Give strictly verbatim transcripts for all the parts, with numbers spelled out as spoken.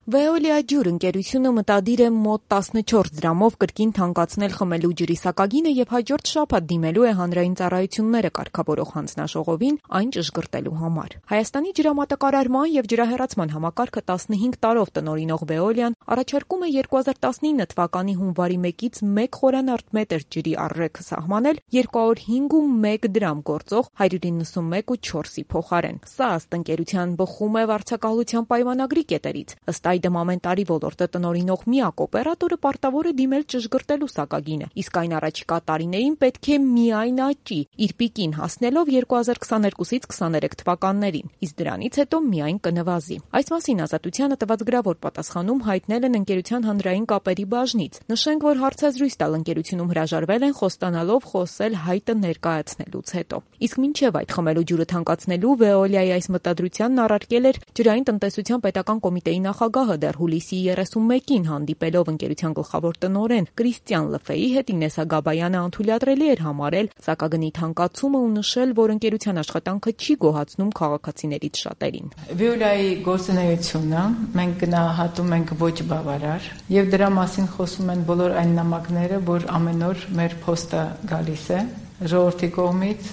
Veolia ջուր ընկերությունը մտադիր է մոտ տասնչորս դրամով կրկին թանկացնել խմելու ջրի սակագինը եւ հաջորդ շաբաթ դիմելու է հանրային ծառայությունները կարգավորող հանձնաժողովին այն ճշգրտելու համար։ Հայաստանի ջրամատակարարման եւ ջրահեռացման համակարգը տասնհինգ տարով տնօրինող Veolia-ն առաջարկում է երկու հազար տասնինը թվականի հունվարի մեկից մեկ խորանարդ մետր ջրի առռեքը սահմանել երկու հարյուր հինգ ու մեկ դրամ գործող հարյուր իննսունմեկ ու չորսի փոխարեն։ Սա ըստ ընկերության բխում է վարձակալության պայմանագրի կետերից։ Ըստ այդմ ամեն տարի ոլորտը տնօրինող միակ օպերատորը պարտավոր է դիմել ճշգրտելու սակագինը, իսկ այն առաջիկա տարիներին պետք է միայն աճի, իր պիկին հասնելով երկու հազար քսաներկուսից քսաներեք թվականներին, իսկ դրանից հետո միայն կնվազի։ Այս մասին Ազատությանը տված գրավոր պատասխանում հայտնել են ընկերության հանրային կապերի բաժնից։ Նշենք, որ հարցազրույց տալ ընկերությունում հրաժարվել են խոստանալով խոսել հայտը ներկայացնելուց հետո։ Իսկ մինչև այդ խմելու ջուրը թանկացնելու Veolia-ի այս մտադրությանն առարկել էր ջրային տնտեսության պետական կոմիտեի նախագահը դեռ հուլիսի երեսունմեկին հանդիպելով ընկերության գլխավոր տնօրեն Կրիստիան Լֆեի հետ Ինեսսա Գաբայանը անթույլատրելի էր համարել սակագնի թանկացումը ու նշել, որ ընկերության աշխատանքը չի գոհացնում քաղաքացիներից շատերին։ Veolia-ի գործունեությունը մենք գնահատում ենք ոչ բավարար եւ դրա մասին խոսում են բոլոր այն նամակները, որ ամեն օր մեր փոստը գալիս է ժողովրդի կողմից,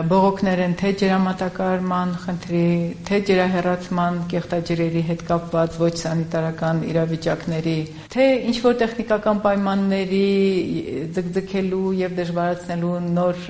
բողոքներ են թե ջրամատակարարման խնդրի, թե ջրահեռացման կեղտաջրերի հետ կապված ոչ սանիտարական իրավիճակների, թե ինչ-որ տեխնիկական պայմանների ձգձգելու եւ դժվարացնելու նոր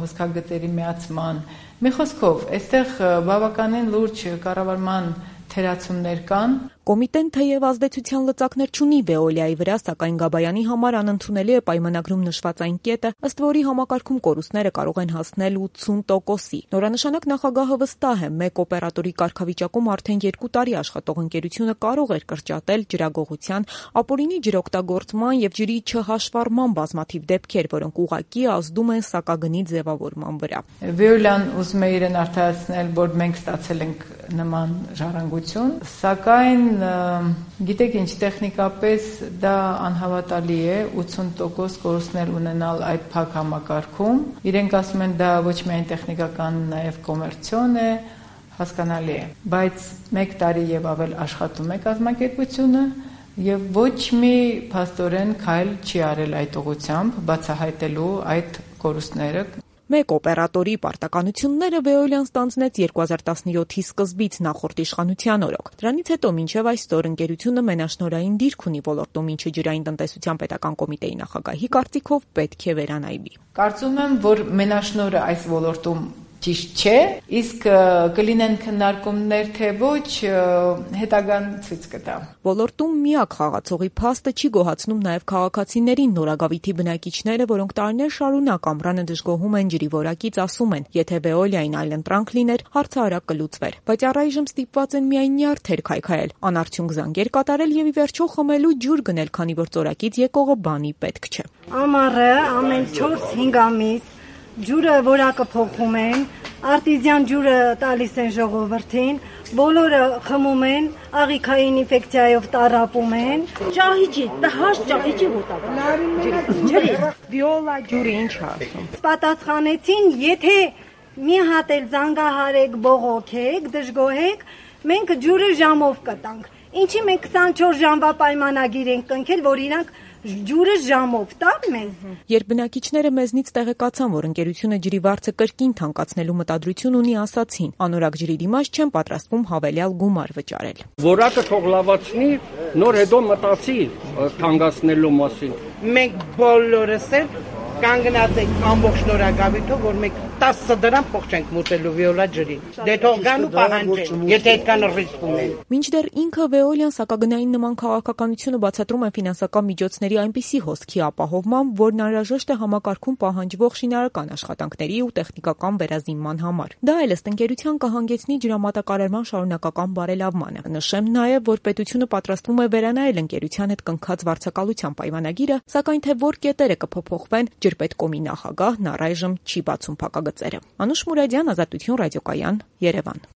հոսքագծերի միացման։ Մի խոսքով, այստեղ բավականին լուրջ կառավարման թերացումներ կան։ Կոմիտեն թեև ազդեցության լծակներ չունի Veolia-ի վրա, սակայն Գաբայանի համար անընդունելի է պայմանագրում նշված այն կետը, ըստ որի համակարգում կորուստները կարող են հասնել ութսուն տոկոսի։ Նորանշանակ նախագահը վստահ է, մեկ օպերատորի կարգավիճակում արդեն երկու տարի աշխատող ընկերությունը կարող էր կրճատել ջրագողության, ապօրինի ջրօգտագործման եւ ջրի չհաշվառման բազմաթիվ դեպքեր, որոնք ուղղակի ազդում են սակագնի ձևավորման վրա։ Veolia-ն ուզում է իրեն արդարացնել, որ մենք ստացել ենք նման ժառանգություն, սակայն գիտեք ինչ, տեխնիկապես դա անհավատալի է ութսուն տոկոս կորուստներ ունենալ այդ փակ համակարգում։ Իրենք ասում են դա ոչ միայն տեխնիկական, նաև կոմերցիոն է, հասկանալի է, բայց մեկ տարի եւ ավել աշխատում է կազմակերպությունը եւ ոչ մի փաստորեն քայլ չի արել այդ ուղղությամբ բացահայտելու այդ կորուստները։ Մեկ օպերատորի պարտականությունները Veolia-ն ստանձնեց երկու հազար տասնյոթի սկզբից նախորդ իշխանության օրոք։ Դրանից հետո մինչև այսօր ընկերությունը մենաշնորհային դիրք ունի ոլորտում, ինչը ջրային տնտեսության պետական կոմիտեի նախագահի կարծիքով պետք է վերանայվի։ Կարծում եմ, որ մենաշնորհը այս ոլորտում ճիշտ չէ, իսկ կլինեն քննարկումներ, թե ոչ, հետագան ցույց կտա։ Ոլորտում միակ խաղացողի փաստը չի գոհացնում նաև քաղաքացիներին, Նորագավիթի բնակիչները, որոնք տարիներ շարունակ ամռանը դժգոհում են ջրի որակից, ասում են, եթե Veolia-ին այլընտրանք լիներ, հարցը արագ կլուծվեր, բայց առայժմ ստիպված են միայն նյարդեր քայքայել, անարդյունք զանգեր կատարել եւ ի վերջո խմելու ջուր գնել, քանի որ ծորակից եկողը բանի պետք չէ։ Ամառը ամեն չորս-հինգ ամիս ջուրը որակը փոխում են, արտիզյան ջուրը տալիս են ժողովրդին, բոլորը խմում են, աղիքային ինֆեկցիայով տառապում են։ Ճահիճի, տհաճ ճահիճի հոտակ։ Ջրի, Veolia ջուրը ինչ է ասում։ Պատասխանեցին, եթե մի հատ էլ զանգահարեք, բողոքեք, դժգոհեք, մենք ջուրը ժամով կտանք։ Ինչի մենք քսանչորս ժամվա պայմանագիր ենք կնքել, որ իրանք ջուրը ժամով տան մեզ։ Երբ բնակիչները մեզնից տեղեկացան, որ ընկերությունը ջրի վարձը կրկին թանկացնելու մտադրություն ունի, ասացին, անորակ ջրի դիմաց չեն պատրաստվում հավելյալ գումար վճարել։ Որակը թող լավացնի, նոր հետո մտածի թանկացնելու մասին։ Մենք բոլորս էլ կանգնած ենք ամբողջ Նորագավիթով, որ մենք տասը դրամ փող չենք մուտելու Veolia ջրին։ Դե թող գան ու պահանջեն, եթե այդքան ռիսկ ունեն։ Մինչդեռ ինքը Veolia-ն սակագնային նման քաղաքականությունը բացատրում է ֆինանսական միջոցների այնպիսի հոսքի ապահովմամբ, որն անհրաժեշտ է համակարգում պահանջվող շինարարական աշխատանքների ու տեխնիկական վերազինման համար։ Դա էլ ըստ ընկերության կհանգեցնի ջրամատակարարման շարունակական բարելավմանը։ Նշեմ նաև, որ պետությունը պատրաստվում է վերանայել ընկերության հետ կնքած վարձակալության պայմանագիրը, սակայն թե որ կետերը կփոփոխվեն, ջրպետկոմի նախագահն առայժմ չի բացում փակագծերը։ Անուշ Մուրադյան, Ազատություն ռադիոկայան, Երևան։